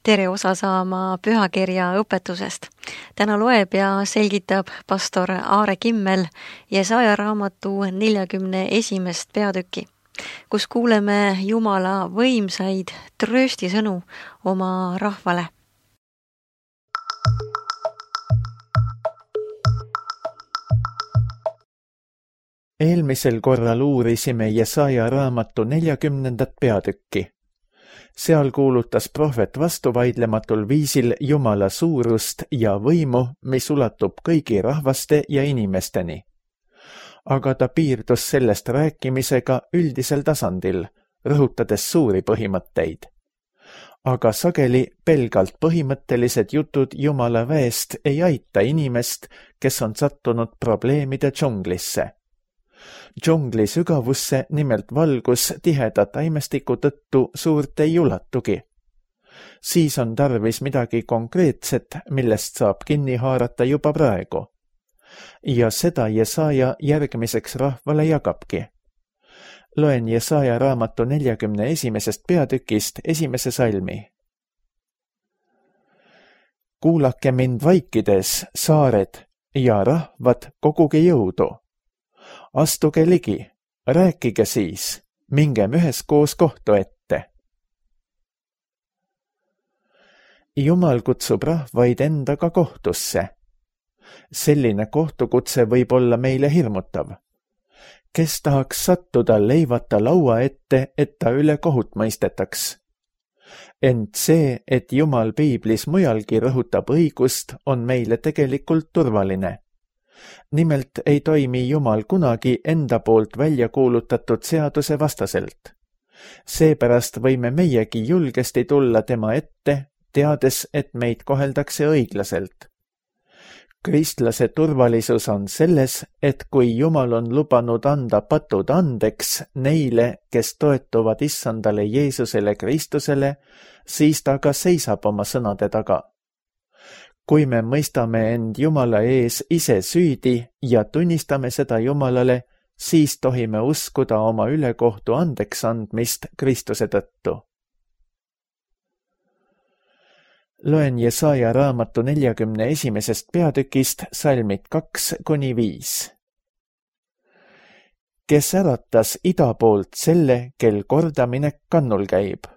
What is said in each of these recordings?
tere osa saama pühakirja õpetusest. Täna loeb ja selgitab pastor Aare Kimmel Jesaja raamatu 41. peatükki, kus kuuleme Jumala võimsaid trööstisõnu oma rahvale. Eelmisel korral uurisime Jesaja raamatu 40. peatükki. Seal kuulutas prohvet vastuvaidlematul viisil Jumala suurust ja võimu, mis ulatub kõigi rahvaste ja inimesteni. Aga ta piirdus sellest rääkimisega üldisel tasandil, rõhutades suuri põhimõtteid. Aga sageli pelgalt põhimõttelised jutud Jumala väest ei aita inimest, kes on sattunud probleemide džunglisse. Džungli sügavusse nimelt valgus tiheda taimestiku tõttu suurt ei ulatugi. Siis on tarvis midagi konkreetset, millest saab kinni haarata juba praegu. Ja seda Jesaja järgmiseks rahvale jagabki. Loen Jesaja raamatu 41. peatükist 1. salmi. Kuulake mind vaikides, saared, ja rahvad, koguge jõudu. Astuge ligi, rääkige siis, mingem üheskoos kohtu ette. Jumal kutsub rahvaid endaga kohtusse. Selline kohtukutse võib olla meile hirmutav. Kes tahaks sattuda leivata laua ette, et ta üle kohut mõistetaks? Ent see, et Jumal piiblis mujalgi rõhutab õigust, on meile tegelikult turvaline. Nimelt ei toimi Jumal kunagi enda poolt välja kuulutatud seaduse vastaselt. Seepärast võime meiegi julgesti tulla tema ette, teades, et meid koheldakse õiglaselt. Kristlase turvalisus on selles, et kui Jumal on lubanud anda patud andeks neile, kes toetuvad issandale Jeesusele Kristusele, siis ta ka seisab oma sõnade taga. Kui me mõistame end Jumala ees ise süüdi ja tunnistame seda Jumalale, siis tohime uskuda oma ülekohtu andeks andmist Kristuse tõttu. Loen Jesaja raamatu 41. peatükist salmid 2-5. Kes äratas ida poolt selle, kel kordaminek kannul käib?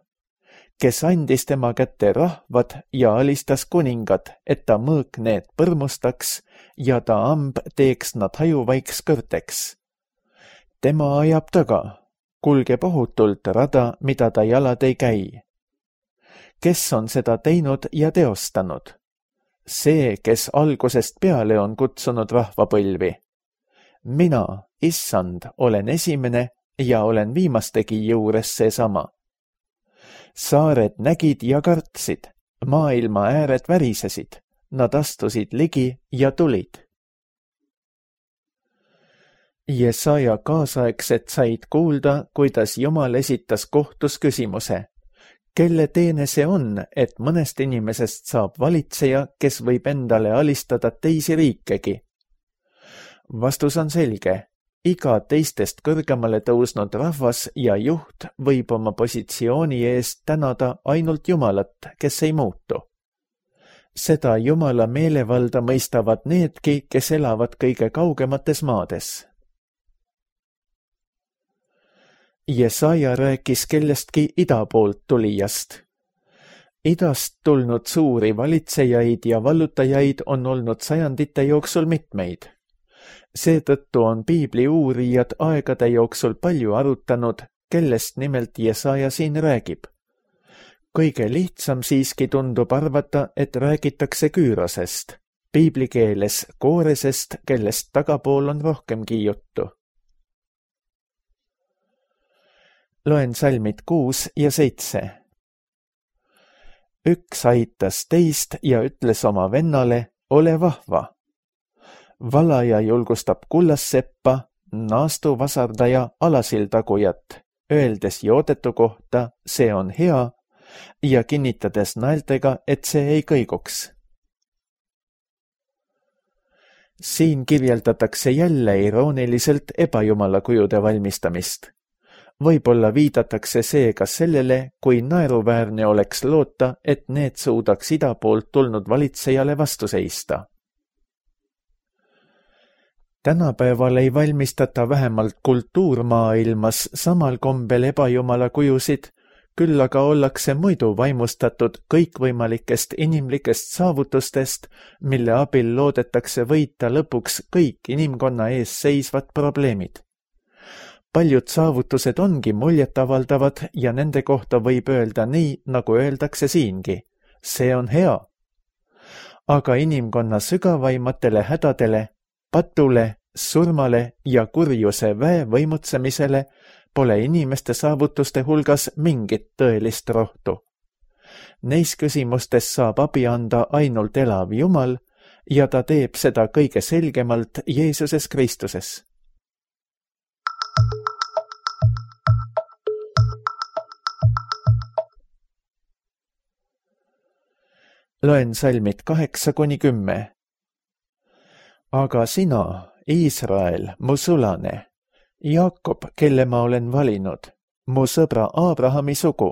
Kes andis tema kätte rahvad ja alistas kuningad, et ta mõõk need põrmustaks ja ta amb teeks nad hajuvaiks kõrteks. Tema ajab taga, kulgeb ohutult rada, mida ta jalad ei käi. Kes on seda teinud ja teostanud? See, kes algusest peale on kutsunud rahvapõlvi. Mina, issand, olen esimene ja olen viimastegi juures seesama. Saared nägid ja kartsid, maailma ääred värisesid, nad astusid ligi ja tulid. Jesaja kaasaegset said kuulda, kuidas Jumal esitas kohtus küsimuse. Kelle teene see on, et mõnest inimesest saab valitseja, kes võib endale alistada teisi riikegi? Vastus on selge. Iga teistest kõrgemale tõusnud rahvas ja juht võib oma positsiooni eest tänada ainult Jumalat, kes ei muutu. Seda Jumala meelevalda mõistavad needki, kes elavad kõige kaugemates maades. Jesaja rääkis kellestki ida poolt tulijast. Idast tulnud suuri valitsejaid ja vallutajaid on olnud sajandite jooksul mitmeid. Seetõttu on piibli uurijad aegade jooksul palju arutanud, kellest nimelt Jesaja siin räägib. Kõige lihtsam siiski tundub arvata, et räägitakse Küürosest, piibli keeles Kooresest, kellest tagapool on rohkemgi juttu. Loen salmid 6 ja 7. Üks aitas teist ja ütles oma vennale, ole vahva. Valaja julgustab kullasseppa, naastu vasardaja alasildagujat, öeldes joodetu kohta, see on hea, ja kinnitades naeltega, et see ei kõiguks. Siin kirjeldatakse jälle irooniliselt ebajumala kujude valmistamist. Võib-olla viidatakse seega sellele, kui naeruväärne oleks loota, et need suudaks ida poolt tulnud valitsejale vastu seista. Tänapäeval ei valmistata vähemalt kultuurmaailmas samal kombel ebajumala kujusid, küll aga ollakse muidu vaimustatud kõikvõimalikest inimlikest saavutustest, mille abil loodetakse võita lõpuks kõik inimkonna ees seisvad probleemid. Paljud saavutused ongi muljetavaldavad ja nende kohta võib öelda nii, nagu öeldakse siingi. See on hea. Aga inimkonna sügavaimatele hädadele, patule, surmale ja kurjuse väe võimutsemisele pole inimeste saavutuste hulgas mingit tõelist rohtu. Neis küsimustes saab abi anda ainult elav Jumal ja ta teeb seda kõige selgemalt Jeesuses Kristuses. Loen salmid 8-10. Aga sina, Iisrael, mu sulane, Jaakob, kelle ma olen valinud, mu sõbra Abrahami sugu,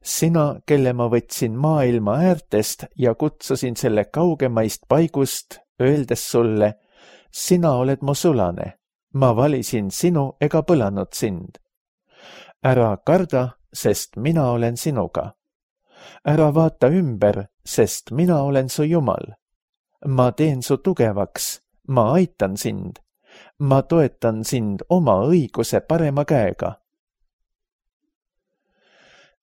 sina, kelle ma võtsin maailma äärtest ja kutsusin selle kaugemaist paigust, öeldes sulle, sina oled mu sulane, ma valisin sinu ega põlanud sind. Ära karda, sest mina olen sinuga. Ära vaata ümber, sest mina olen su Jumal. Ma teen su tugevaks, ma aitan sind, ma toetan sind oma õiguse parema käega.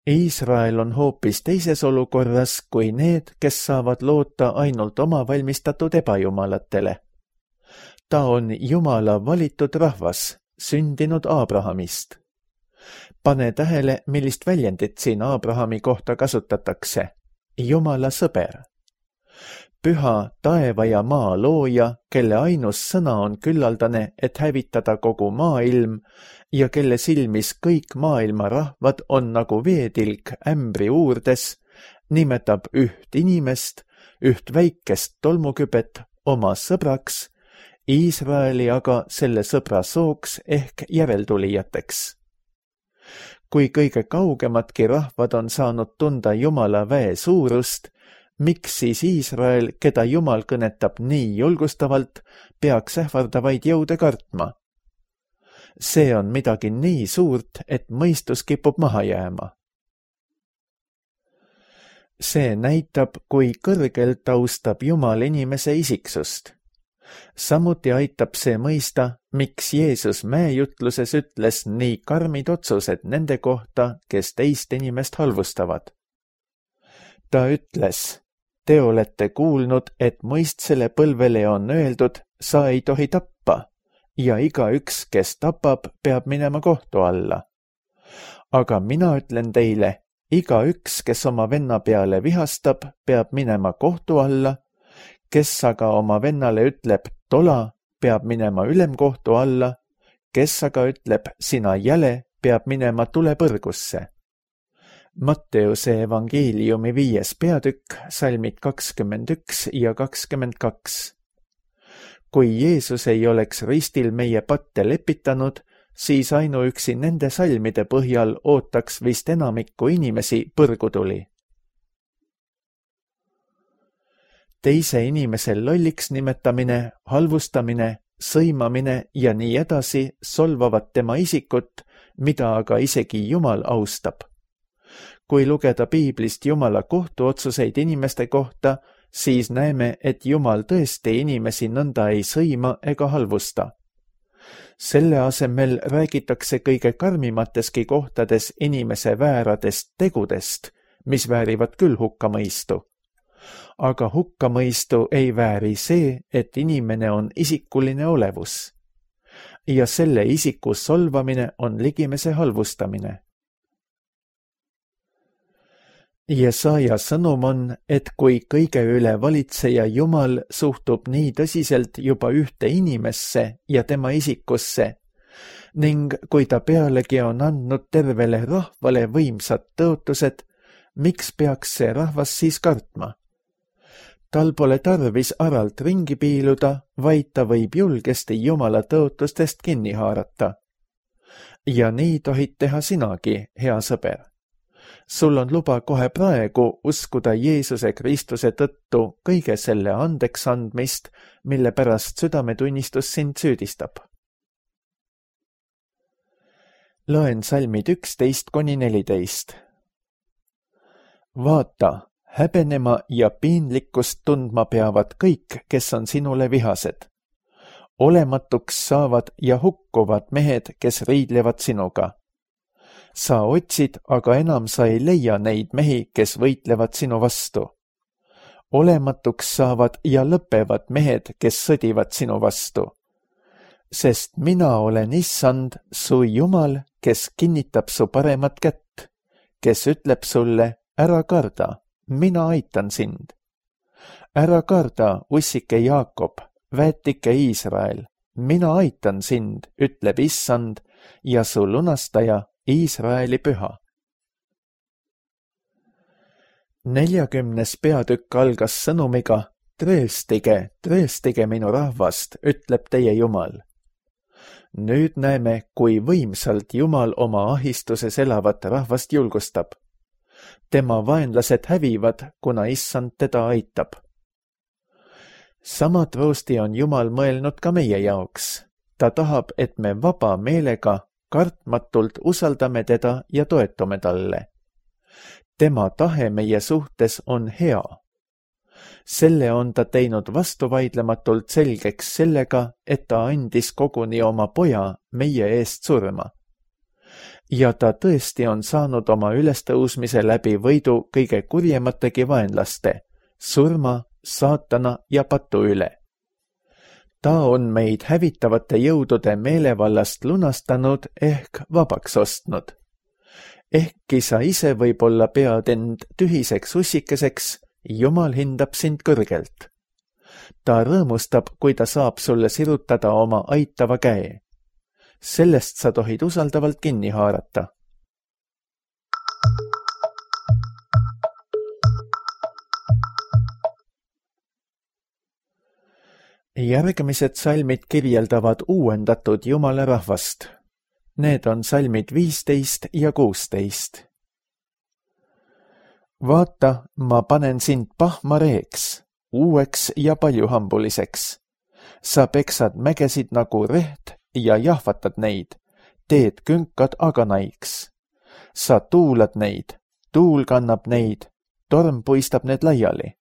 Iisrael on hoopis teises olukorras kui need, kes saavad loota ainult oma valmistatud ebajumalatele. Ta on Jumala valitud rahvas, sündinud Abrahamist. Pane tähele, millist väljendit siin Abrahami kohta kasutatakse. Jumala sõber. Püha taeva ja maa looja, kelle ainus sõna on küllaldane, et hävitada kogu maailm ja kelle silmis kõik maailma rahvad on nagu veetilk ämbri uurdes, nimetab üht inimest, üht väikest tolmukübet oma sõbraks, Iisraeli aga selle sõbra sooks ehk järeltulijateks. Kui kõige kaugemadki rahvad on saanud tunda Jumala väe suurust, miks siis Iisrael, keda Jumal kõnetab nii julgustavalt, peaks ähvardavaid jõude kartma? See on midagi nii suurt, et mõistus kipub maha jääma. See näitab, kui kõrgelt austab Jumal inimese isiksust. Samuti aitab see mõista, miks Jeesus mäejutluses ütles nii karmid otsused nende kohta, kes teist inimest halvustavad. Ta ütles, te olete kuulnud, et mõistsele põlvele on öeldud, sa ei tohi tappa ja igaüks, kes tapab, peab minema kohtu alla. Aga mina ütlen teile, igaüks, kes oma venna peale vihastab, peab minema kohtu alla, kes aga oma vennale ütleb tola, peab minema ülemkohtu alla, kes aga ütleb sina jäle, peab minema tulepõrgusse. Matteuse evangeeliumi 5. peatükk, salmid 21 ja 22. Kui Jeesus ei oleks ristil meie patte lepitanud, siis ainuüksi nende salmide põhjal ootaks vist enamikku inimesi põrgutuli. Teise inimese lolliks nimetamine, halvustamine, sõimamine ja nii edasi solvavad tema isikut, mida aga isegi Jumal austab. Kui lugeda piiblist Jumala kohtuotsuseid inimeste kohta, siis näeme, et Jumal tõesti inimesi nõnda ei sõima ega halvusta. Selle asemel räägitakse kõige karmimateski kohtades inimese vääradest tegudest, mis väärivad küll hukkamõistu. Aga hukkamõistu ei vääri see, et inimene on isikuline olevus. Ja selle isiku solvamine on ligimese halvustamine. Jesaja sõnum on, et kui kõige üle valitseja Jumal suhtub nii tõsiselt juba ühte inimesse ja tema isikusse ning kui ta pealegi on andnud tervele rahvale võimsad tõotused, miks peaks see rahvas siis kartma? Tal pole tarvis aralt ringi piiluda, vaid ta võib julgesti Jumala tõotustest kinni haarata. ja nii tohid teha sinagi, hea sõber. Sul on luba kohe praegu uskuda Jeesuse Kristuse tõttu kõige selle andeks andmist, mille pärast südametunnistus sind süüdistab. Loen salmid 11–14. Vaata, häbenema ja piinlikkust tundma peavad kõik, kes on sinule vihased. Olematuks saavad ja hukkuvad mehed, kes riidlevad sinuga. Sa otsid, aga enam sa ei leia neid mehi, kes võitlevad sinu vastu. Olematuks saavad ja lõpevad mehed, kes sõdivad sinu vastu. Sest mina olen Issand, su Jumal, kes kinnitab su paremat kätt, kes ütleb sulle, ära karda, mina aitan sind. Ära karda, ussike Jaakob, väetike Iisrael, mina aitan sind, ütleb Issand ja su lunastaja, Iisraeli püha. 40. peatükk algas sõnumiga, tõestige minu rahvast, ütleb teie Jumal. Nüüd näeme, kui võimsalt Jumal oma ahistuses elavat rahvast julgustab. Tema vaenlased hävivad, kuna Issand teda aitab. Sama troosti on Jumal mõelnud ka meie jaoks. Ta tahab, et me vaba meelega kartmatult usaldame teda ja toetume talle. Tema tahe meie suhtes on hea. Selle on ta teinud vastuvaidlematult selgeks sellega, et ta andis koguni oma poja meie eest surma. Ja ta tõesti on saanud oma ülestõusmise läbi võidu kõige kurjemategi vaenlaste, surma, saatana ja patu üle. Ta on meid hävitavate jõudude meelevallast lunastanud ehk vabaks ostnud. Ehkki sa ise võib-olla pead end tühiseks ussikeseks, Jumal hindab sind kõrgelt. Ta rõõmustab, kui ta saab sulle sirutada oma aitava käe. Sellest sa tohid usaldavalt kinni haarata. Järgmised salmid kirjeldavad uuendatud Jumala rahvast. Need on salmid 15 ja 16. Vaata, ma panen sind pahmareeks, uueks ja paljuhambuliseks. Sa peksad mägesid nagu reht ja jahvatad neid, teed künkad aganaiks. Sa tuulad neid, tuul kannab neid, torm puistab need laiali.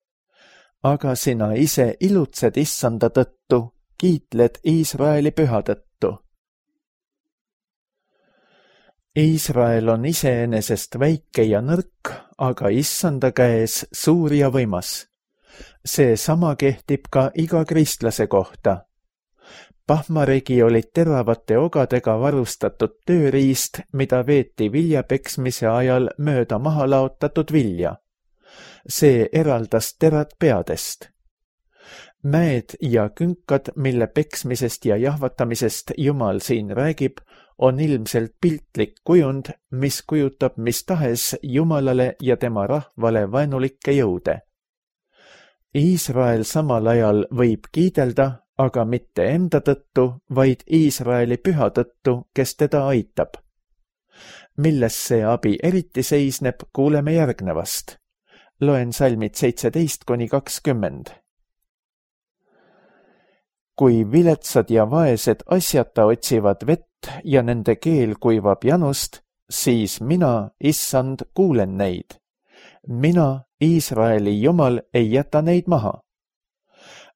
Aga sina ise ilutsed Issanda tõttu, kiitled Iisraeli püha tõttu. Iisrael on iseenesest väike ja nõrk, aga Issanda käes suur ja võimas. See sama kehtib ka iga kristlase kohta. Pahmaregi olid teravate ogadega varustatud tööriist, mida veeti viljapeksmise ajal mööda maha laotatud vilja. See eraldas terad peadest. Mäed ja künkad, mille peksmisest ja jahvatamisest Jumal siin räägib, on ilmselt piltlik kujund, mis kujutab mis tahes Jumalale ja tema rahvale vaenulikke jõude. Iisrael samal ajal võib kiidelda, aga mitte enda tõttu, vaid Iisraeli püha tõttu, kes teda aitab. Milles see abi eriti seisneb, kuuleme järgnevast. Loen salmid 17–20. Kui viletsad ja vaesed asjata otsivad vett ja nende keel kuivab janust, siis mina, Issand, kuulen neid. Mina, Iisraeli Jumal, ei jäta neid maha.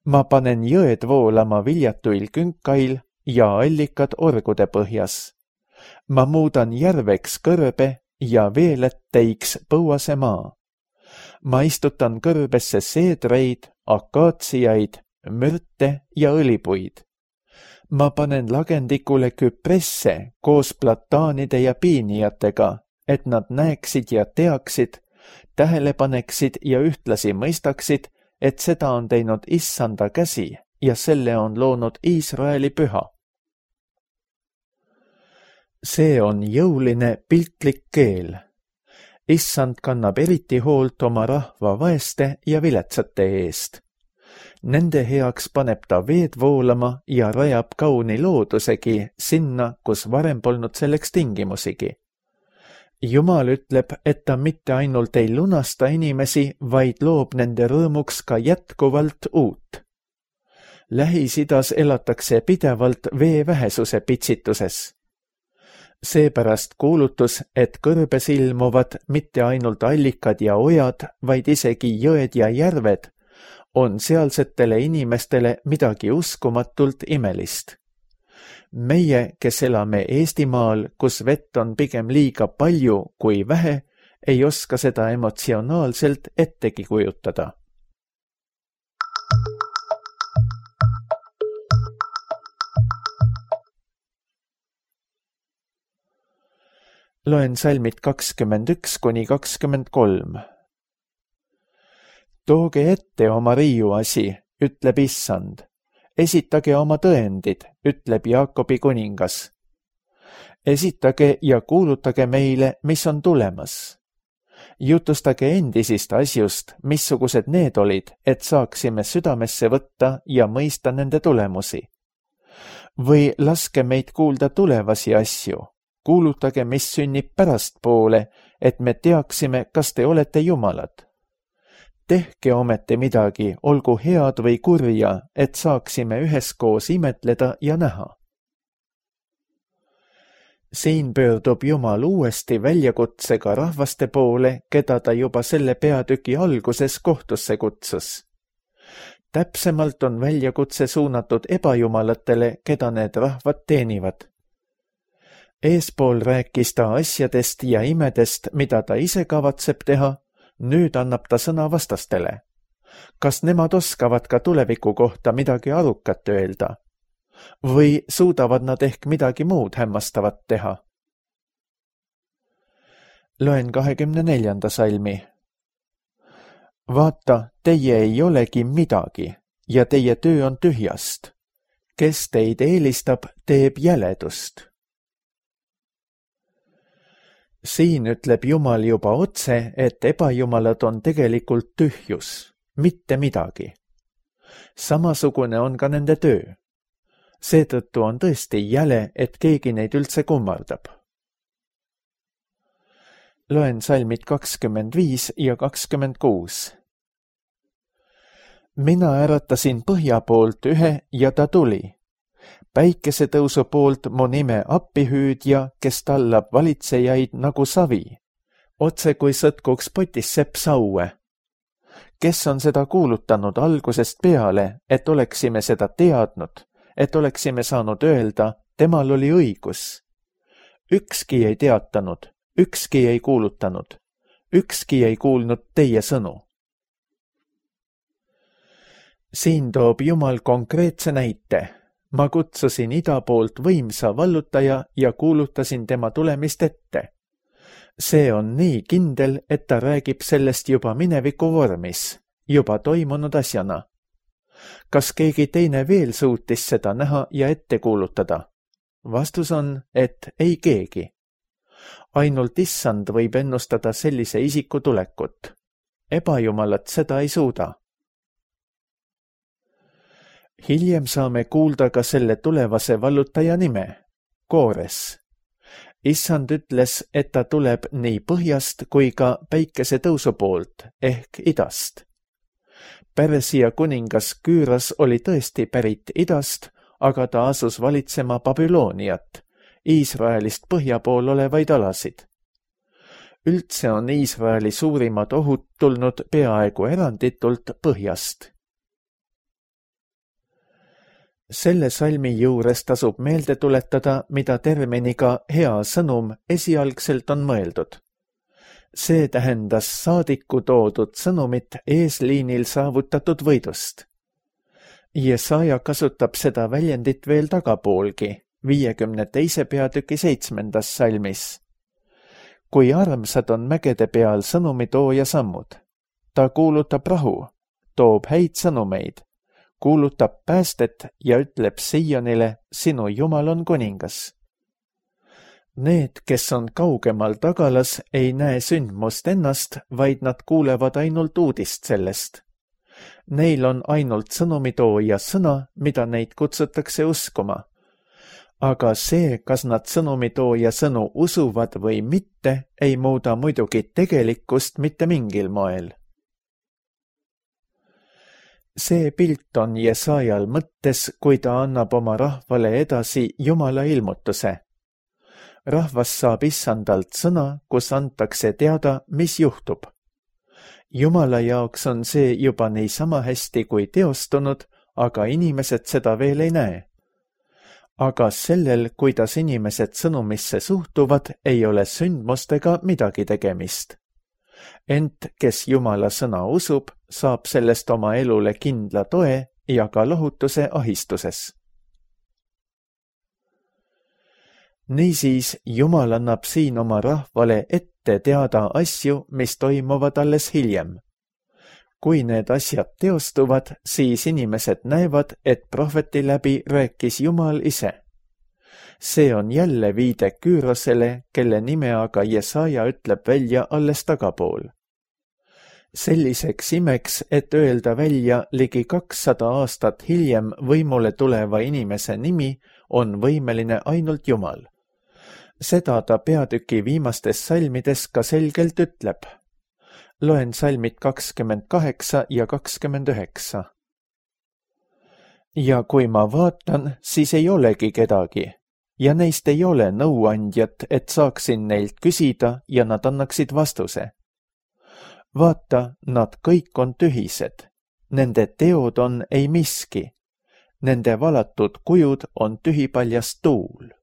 Ma panen jõed voolama viljatuil künkail ja allikad orgude põhjas. Ma muudan järveks kõrbe ja veelätteiks põuase maa. Ma istutan kõrbesse seedreid, akaatsiaid, mürte ja õlipuid. Ma panen lagendikule küpresse koos plataanide ja piinijatega, et nad näeksid ja teaksid, tähele paneksid ja ühtlasi mõistaksid, et seda on teinud Issanda käsi ja selle on loonud Iisraeli püha. See on jõuline piltlik keel. Issand kannab eriti hoolt oma rahva vaeste ja viletsate eest. Nende heaks paneb ta veed voolama ja rajab kauni loodusegi sinna, kus varem polnud selleks tingimusigi. Jumal ütleb, et ta mitte ainult ei lunasta inimesi, vaid loob nende rõõmuks ka jätkuvalt uut. Lähis-Idas elatakse pidevalt vee vähesuse pitsituses. Seepärast kuulutus, et kõrbes ilmuvad mitte ainult allikad ja ojad, vaid isegi jõed ja järved, on sealsetele inimestele midagi uskumatult imelist. Meie, kes elame Eestimaal, kus vett on pigem liiga palju kui vähe, ei oska seda emotsionaalselt ettegi kujutada. Loen salmid 21–23. Tooge ette oma riiuasi, ütleb Issand. Esitage oma tõendid, ütleb Jaakobi kuningas. Esitage ja kuulutage meile, mis on tulemas. Jutustage endisist asjust, missugused need olid, et saaksime südamesse võtta ja mõista nende tulemusi. Või laske meid kuulda tulevasi asju. Kuulutage, mis sünnib pärastpoole, et me teaksime, kas te olete jumalad. Tehke ometi midagi, olgu head või kurja, et saaksime üheskoos imetleda ja näha. Siin pöördub Jumal uuesti väljakutsega rahvaste poole, keda ta juba selle peatüki alguses kohtusse kutsus. Täpsemalt on väljakutse suunatud ebajumalatele, keda need rahvad teenivad. Eespool rääkis ta asjadest ja imedest, mida ta ise kavatseb teha, nüüd annab ta sõna vastastele. Kas nemad oskavad ka tuleviku kohta midagi arukat öelda? Või suudavad nad ehk midagi muud hämmastavat teha? Loen 24. salmi. Vaata, teie ei olegi midagi ja teie töö on tühjast. Kes teid eelistab, teeb jäledust. Siin ütleb Jumal juba otse, et ebajumalad on tegelikult tühjus, mitte midagi. Samasugune on ka nende töö. Seetõttu on tõesti jäle, et keegi neid üldse kummardab. Loen salmid 25 ja 26. Mina äratasin põhja poolt ühe ja ta tuli. Päikesetõusu poolt mu nime appihüüdja, kes tallab valitsejaid nagu savi, otse kui sõtkuks potis sepp saue. Kes on seda kuulutanud algusest peale, et oleksime seda teadnud, et oleksime saanud öelda, temal oli õigus. Ükski ei teatanud, ükski ei kuulutanud, ükski ei kuulnud teie sõnu. Siin toob Jumal konkreetse näite. Ma kutsusin ida poolt võimsa vallutaja ja kuulutasin tema tulemist ette. See on nii kindel, et ta räägib sellest juba mineviku vormis, juba toimunud asjana. Kas keegi teine veel suutis seda näha ja ette kuulutada? Vastus on, et ei keegi. Ainult Issand võib ennustada sellise isiku tulekut. Ebajumalad seda ei suuda. Hiljem saame kuulda ka selle tulevase vallutaja nime, Koores. Issand ütles, et ta tuleb nii põhjast kui ka päikesetõusu poolt ehk idast. Persia kuningas Küüras oli tõesti pärit idast, aga ta asus valitsema Babyloniat, Iisraelist põhja pool olevaid alasid. Üldse on Iisraeli suurimad ohud tulnud peaaegu eranditult põhjast. Selle salmi juures tasub meelde tuletada, mida terminiga hea sõnum esialgselt on mõeldud. See tähendas saadiku toodud sõnumit eesliinil saavutatud võidust. Jesaja kasutab seda väljendit veel tagapoolgi, 52. peatüki 7. salmis. Kui armsad on mägede peal sõnumitooja sammud. Ta kuulutab rahu, toob häid sõnumeid, kuulutab päästet ja ütleb Sionile, sinu Jumal on kuningas. Need, kes on kaugemal tagalas, ei näe sündmust ennast, vaid nad kuulevad ainult uudist sellest. Neil on ainult sõnumitooja sõna, mida neid kutsutakse uskuma. Aga see, kas nad sõnumitooja sõnu usuvad või mitte, ei muuda muidugi tegelikkust mitte mingil moel. See pilt on Jesajal mõttes, kui ta annab oma rahvale edasi Jumala ilmutuse. Rahvas saab issandalt sõna, kus antakse teada, mis juhtub. Jumala jaoks on see juba niisama hästi kui teostunud, aga inimesed seda veel ei näe. Aga sellel, kuidas inimesed sõnumisse suhtuvad, ei ole sündmustega midagi tegemist. Ent kes Jumala sõna usub, saab sellest oma elule kindla toe ja ka lohutuse ahistuses. Niisiis, Jumal annab siin oma rahvale ette teada asju, mis toimuvad alles hiljem. Kui need asjad teostuvad, siis inimesed näevad, et prohveti läbi rääkis Jumal ise. See on jälle viide Küürosele, kelle nime aga Jesaja ütleb välja alles tagapool. Selliseks imeks, et öelda välja ligi 200 aastat hiljem võimule tuleva inimese nimi, on võimeline ainult Jumal. Seda ta peatüki viimastes salmides ka selgelt ütleb. Loen salmid 28 ja 29. Ja kui ma vaatan, siis ei olegi kedagi, ja neist ei ole nõuandjat, et saaksin neilt küsida ja nad annaksid vastuse. Vaata, nad kõik on tühised. Nende teod on ei miski. Nende valatud kujud on tühipaljas tuul.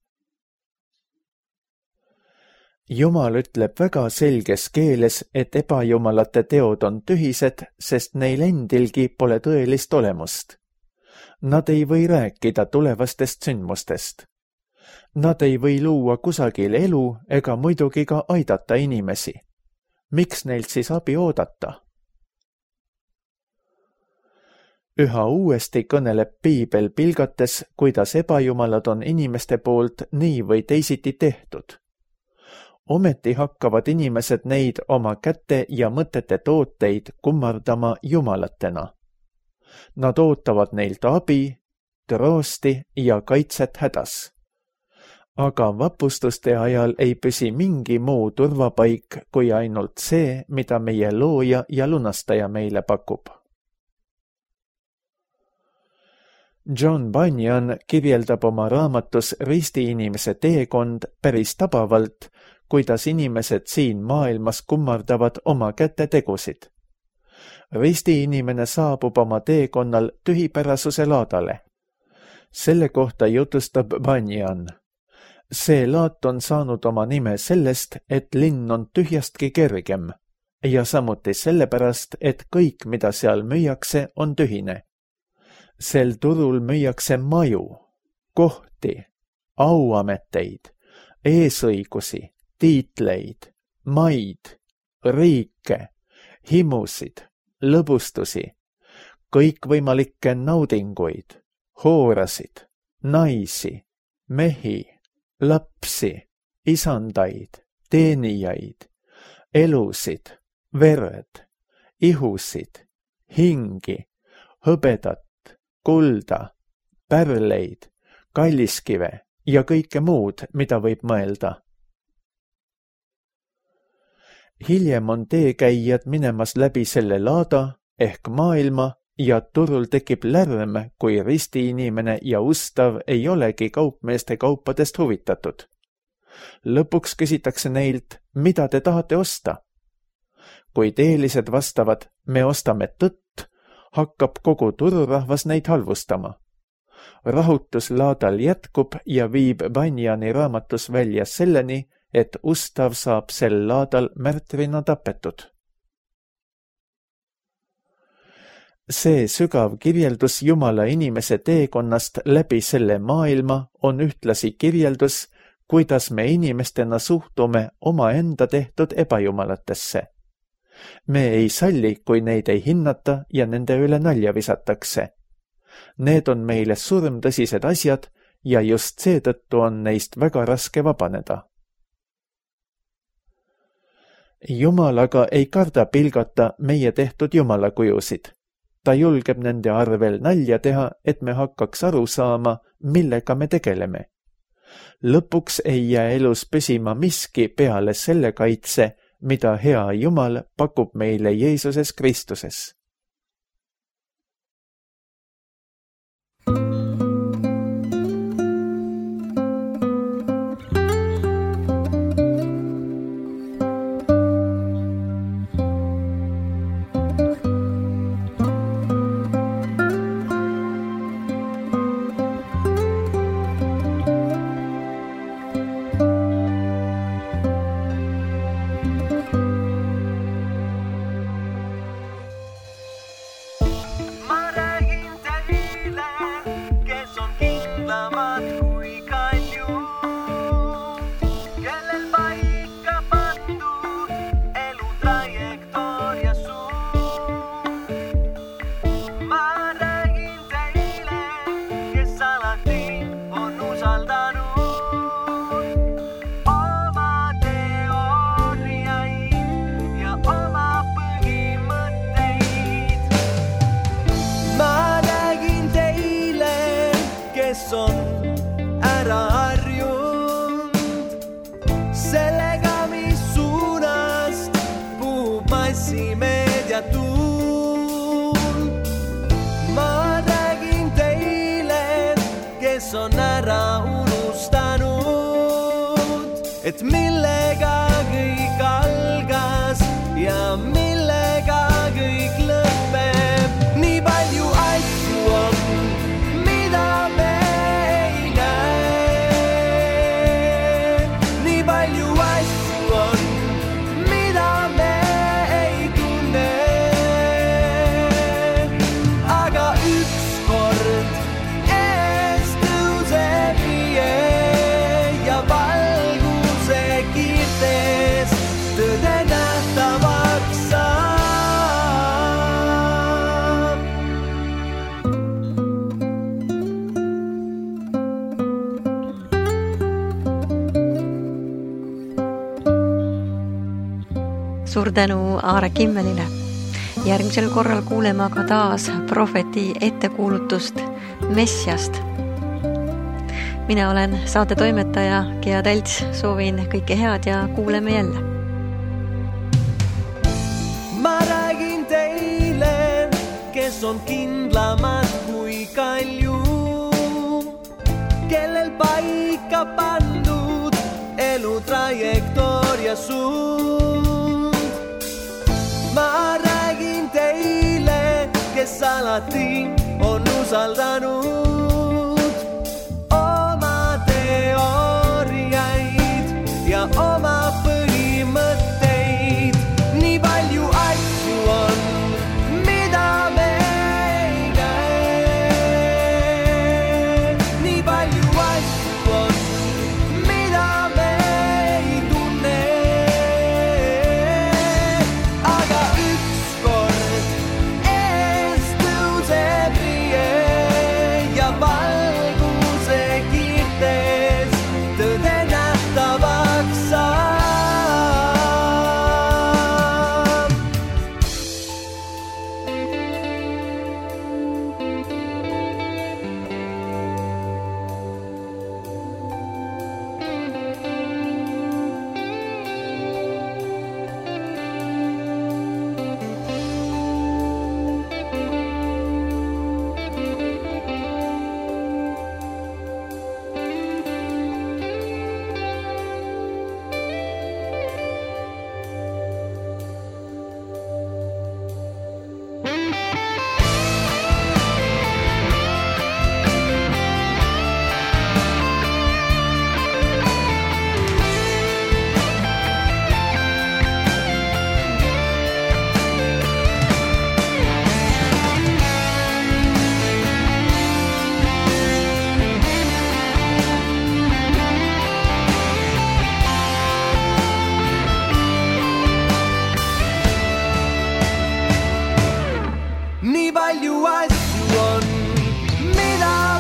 Jumal ütleb väga selges keeles, et ebajumalate teod on tühised, sest neil endilgi pole tõelist olemust. Nad ei või rääkida tulevastest sündmustest. Nad ei või luua kusagil elu ega muidugi ka aidata inimesi. Miks neilt siis abi oodata? Üha uuesti kõneleb piibel pilgates, kuidas ebajumalad on inimeste poolt nii või teisiti tehtud. Ometi hakkavad inimesed neid oma käte ja mõtete tooteid kummardama jumalatena. Nad ootavad neilt abi, troosti ja kaitset hädas. Aga vapustuste ajal ei püsi mingi muu turvapaik kui ainult see, mida meie looja ja lunastaja meile pakub. John Bunyan kirjeldab oma raamatus Ristiinimese teekond päris tabavalt, kuidas inimesed siin maailmas kummardavad oma kätetegusid. Ristiinimene saabub oma teekonnal tühipärasuse laadale. Selle kohta jutustab Bunyan. See laat on saanud oma nime sellest, et linn on tühjastki kergem ja samuti sellepärast, et kõik, mida seal müüakse, on tühine. Sel turul müüakse maju, kohti, auameteid, eesõigusi, tiitleid, maid, riike, himusid, lõbustusi, kõikvõimalikke naudinguid, hoorasid, naisi, mehi, lapsi, isandaid, teenijaid, elusid, verd, ihusid, hingi, hõbedat, kulda, pärleid, kalliskive ja kõike muud, mida võib mõelda. Hiljem on teekäijad minemas läbi selle laada ehk maailma ja turul tekib lärm, kui ristiinimene ja ustav ei olegi kaupmeeste kaupadest huvitatud. Lõpuks küsitakse neilt, mida te tahate osta? Kui teelised vastavad, me ostame tõtt, hakkab kogu tururahvas neid halvustama. Rahutus laadal jätkub ja viib Bunjani raamatus välja selleni, et ustav saab sel laadal märtrina tapetud. See sügav kirjeldus Jumala inimese teekonnast läbi selle maailma on ühtlasi kirjeldus, kuidas me inimestena suhtume omaenda tehtud ebajumalatesse. Me ei salli, kui neid ei hinnata ja nende üle nalja visatakse. Need on meile surmtõsised asjad ja just seetõttu on neist väga raske vabaneda. Jumal aga ei karda pilgata meie tehtud jumalakujusid. ta julgeb nende arvel nalja teha, et me hakkaks aru saama, millega me tegeleme. Lõpuks ei jää elus püsima miski peale selle kaitse, mida hea Jumal pakub meile Jeesuses Kristuses. On ära unustanud, et millega kõik algas ja millega kõik lõpeb. Nii palju asju on, mida me ei näe. Nii palju asju on, mida me ei tunne. Aga ükskord tõde nähtavaks saab. Suur tänu Aare Kimmelile. Järgmisel korral kuuleme aga taas prohveti ettekuulutust Messiast. Mina olen saate toimetaja Gea Tälts, soovin kõike head ja kuuleme jälle. Ma räägin teile, kes on kindlamad kui kalju, kellel paika pandud elu trajektoria suund. Ma räägin teile, kes alati on usaldanud oma teooriaid ja oma põhimõtteid. Nii palju asju on, mida me ei näe. Nii palju asju on, mida me ei tunne. Aga ükskord ees tõuseb rie ja valguse kiirtes tõde nähtavaks saab. Nii palju asju on, mida